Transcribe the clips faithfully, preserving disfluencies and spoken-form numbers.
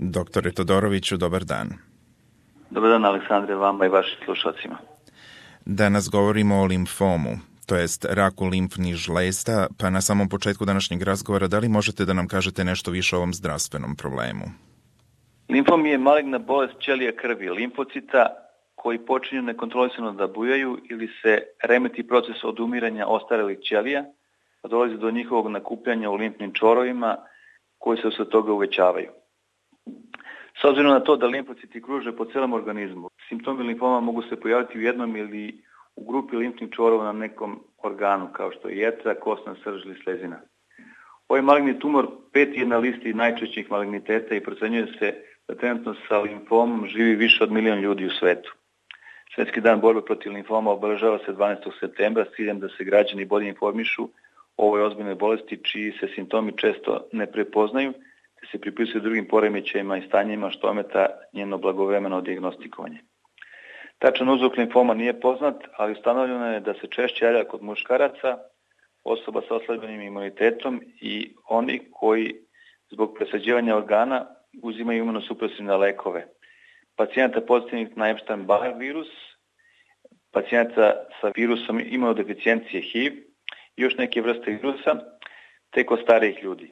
Doktore Todoroviću, dobar dan. Dobar dan, Aleksandre, vama i vašim slušalcima. Danas govorimo o limfomu, to jest raku limfnih žlezda, pa na samom početku današnjeg razgovora da li možete da nam kažete nešto više o ovom zdravstvenom problemu? Limfom je maligna bolest ćelija krvi, limfocita, koji počinju nekontrolisano da bujaju ili se remeti proces odumiranja ostarelih ćelija, pa dolazi do njihovog nakupljanja u limfnim čvorovima koji se usled toga uvećavaju. S obzirom na to da limfociti kruže po celom organizmu, simptomi limfoma mogu se pojaviti u jednom ili u grupi limfnih čvorova na nekom organu, kao što je jetra, kostna srž ili slezina. Ovaj maligni tumor peti je na listi najčešćih maligniteta i procenjuje se da trenutno sa limfomom živi više od milion ljudi u svetu. Svetski dan borbe protiv limfoma obeležava se dvanaestog septembra s ciljem da se građani bolje informišu o ovoj ozbiljnoj bolesti čiji se simptomi često ne prepoznaju, te se pripisuju drugim poremećajima i stanjima što ometa njeno blagovremeno dijagnostikovanje. Tačan uzrok limfoma nije poznat, ali ustanovljeno je da se češće javlja kod muškaraca, osoba sa oslabljenim imunitetom i oni koji zbog presađivanja organa uzimaju imunosupresivne lekove. Pacijenta pozitivnih na Epstein-Barr virus, pacijenta sa virusom imunodeficijencije H I V i još neke vrste virusa, te kod starijih ljudi.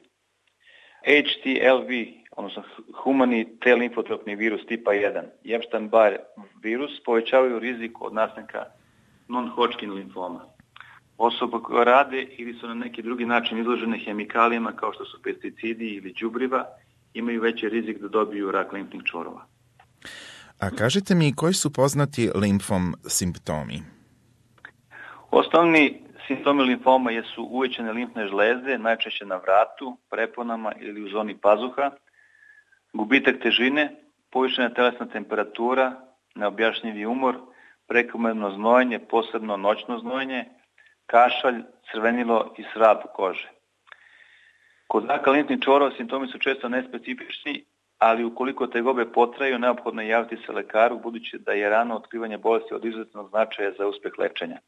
H T L V, odnosno humani T-limfotropni virus tipa jedan i Epstein-Barr virus povećavaju rizik od nastanka non-Hodgkin limfoma. Osobe koje rade ili su na neki drugi način izložene hemikalijama kao što su pesticidi ili đubriva imaju veći rizik da dobiju rak limfnih čvorova. A kažite mi, koji su poznati limfom simptomi? Osnovni simptomi limfoma jesu uvećane limfne žlezde, najčešće na vratu, preponama ili u zoni pazuha, gubitak težine, povišena telesna temperatura, neobjašnjivi umor, prekomerno znojenje, posebno noćno znojenje, kašalj, crvenilo i svrab kože. Kod raka limfnih čvorova simptomi su često nespecifični, ali ukoliko tegobe potraju, neophodno je javiti se lekaru, budući da je rano otkrivanje bolesti od izuzetnog značaja za uspeh lečenja.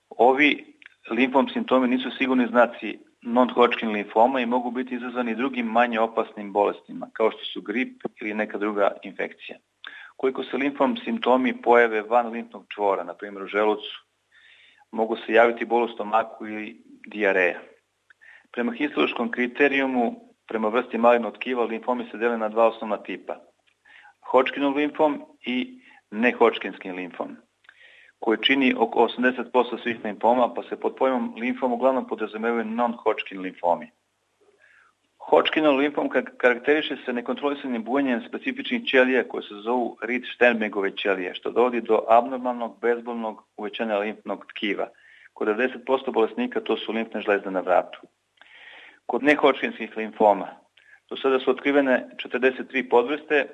Ovi limfom simptomi nisu sigurni znaci non-Hodgkin limfoma i mogu biti izazvani drugim manje opasnim bolestima, kao što su grip ili neka druga infekcija. Koliko se limfom simptomi pojave van limfnog čvora, na primjer u želucu, mogu se javiti bol u stomaku ili dijareja. Prema histološkom kriterijumu, prema vrsti malignog tkiva, limfomi se dele na dva osnovna tipa. Hodgkinov limfom i ne-Hodgkinski limfom, koji čini oko osamdeset posto svih limfoma, pa se pod pojmom limfom uglavnom podrazumevaju non-Hodgkin limfomi. Hodgkinov limfom karakteriše se nekontrolisanim bujenjem specifičnih ćelija koje se zovu Reed-Sternbergove ćelije, što dovodi do abnormalnog, bezbolnog uvećanja limfnog tkiva. Kod devedeset posto bolesnika to su limfne žlezde na vratu. Kod ne-Hodgkinskih limfoma, do sada su otkrivene četrdeset tri podvrste,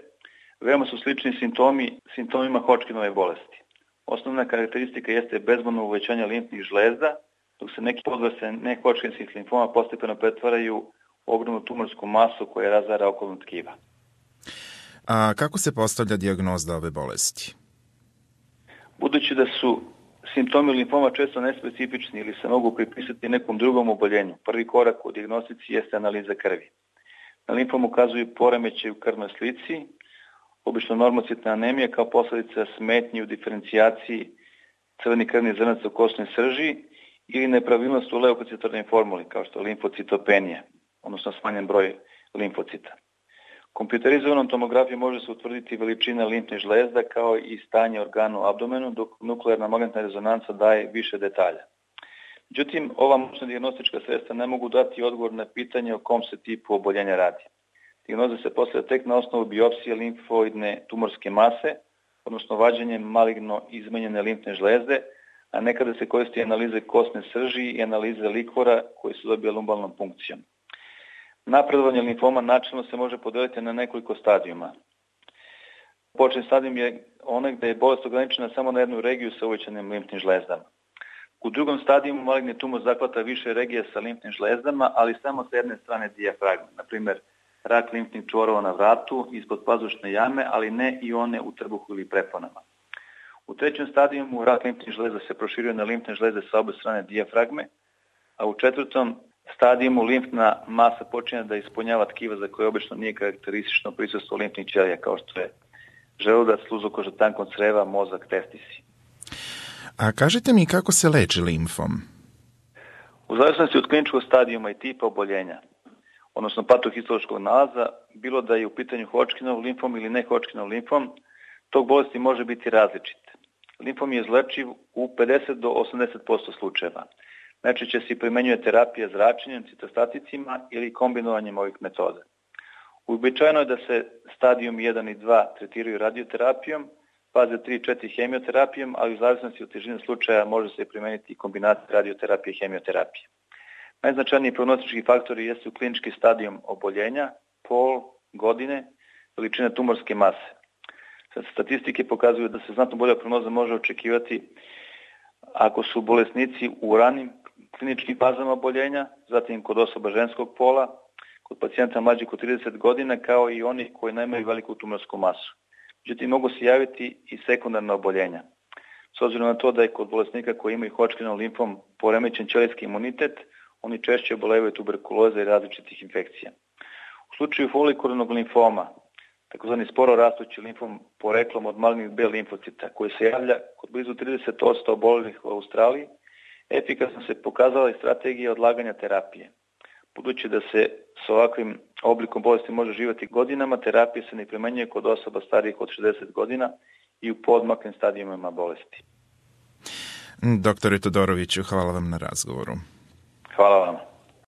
veoma su slični simptomi simptomima Hodgkinove bolesti. Osnovna karakteristika jeste bezbolno uvećanje limfnih žlezda, dok se neke podvrste ne-Hodgkinskih limfoma postepeno pretvaraju u ogromnu tumorsku masu koja razara okolno tkiva. A kako se postavlja dijagnoza ove bolesti? Budući da su simptomi limfoma često nespecifični ili se mogu pripisati nekom drugom oboljenju, prvi korak u dijagnostici jeste analiza krvi. Na limfom ukazuju poremećaj u krvnoj slici, obično normocitna anemija kao posljedica smetnji u diferencijaciji crvenih krvnih zrnaca u kostnoj srži ili nepravilnost u leukocitornoj formuli kao što je limfocitopenija, odnosno smanjen broj limfocita. Kompjuterizovanom tomografijom može se utvrditi veličina limfnih žlezda kao i stanje organa u abdomenu, dok nuklearna magnetna rezonanca daje više detalja. Međutim, ova moćna dijagnostička sredstva ne mogu dati odgovor na pitanje o kom se tipu oboljenja radi. Dijagnoza se postavlja tek na osnovu biopsije limfoidne tumorske mase, odnosno vađenjem maligno izmenjene limfne žlezde, a nekada se koristi analize kostne srži i analize likvora koji su dobije lumbalnom punkcijom. Napredovanje limfoma načelno se može podeliti na nekoliko stadijuma. Početni stadijum je onaj gde je bolest ograničena samo na jednu regiju sa uvećanim limfnim žlezdama. U drugom stadijumu maligni tumor zahvata više regija sa limfnim žlezdama, ali samo sa jedne strane dijafragme, na primjer rak limfnih čvorova na vratu, ispod pazušne jame, ali ne i one u trbuhu ili preponama. U trećem stadijumu rak limfnih žlezda se proširuje na limfne žlezde sa obe strane dijafragme, a u četvrtom stadijumu limfna masa počinje da ispunjava tkiva za koje obično nije karakteristično prisustvo limfnih ćelija, kao što je želudac, sluzokoža tankog creva, mozak, testisi. A kažite mi kako se leči limfom? U zavisnosti od kliničkog stadijuma i tipa oboljenja, odnosno patohistološkog nalaza, bilo da je u pitanju Hodgkinov limfom ili ne Hodgkinov limfom, tog bolesti može biti različit. Limfom je izlečiv u pedeset do osamdeset posto slučajeva. Najčešće se primenjuje terapija zračenjem, citostaticima ili kombinovanjem ovih metoda. Uobičajeno je da se stadijum jedan i dva tretiraju radioterapijom, faze tri i četiri hemioterapijom, ali u zavisnosti od težine slučaja može se primeniti kombinacija radioterapije i hemioterapije. Najznačajniji prognostički faktori jesu klinički stadijum oboljenja, pol, godine, veličina tumorske mase. Statistike pokazuju da se znatno bolja prognoza može očekivati ako su bolesnici u ranim kliničkim fazama oboljenja, zatim kod osoba ženskog pola, kod pacijenta mlađih od trideset godina, kao i oni koji nemaju veliku tumorsku masu. Međutim, mogu se javiti i sekundarna oboljenja. S obzirom na to da je kod bolesnika koji imaju Hodgkinov limfom poremećen ćelijski imunitet, oni češće obolevaju tuberkuloze i različitih infekcija. U slučaju folikularnog limfoma, takozvani sporo rastući limfom poreklom od malignih B limfocita, koji se javlja kod blizu trideset posto obolelih u Australiji, efikasno se pokazala i strategija odlaganja terapije. Budući da se s ovakvim oblikom bolesti može živjeti godinama, terapija se ne primenjuje kod osoba starijih od šezdeset godina i u poodmaklim stadijumima bolesti. Doktore Todoroviću, hvala vam na razgovoru. Hvala vam.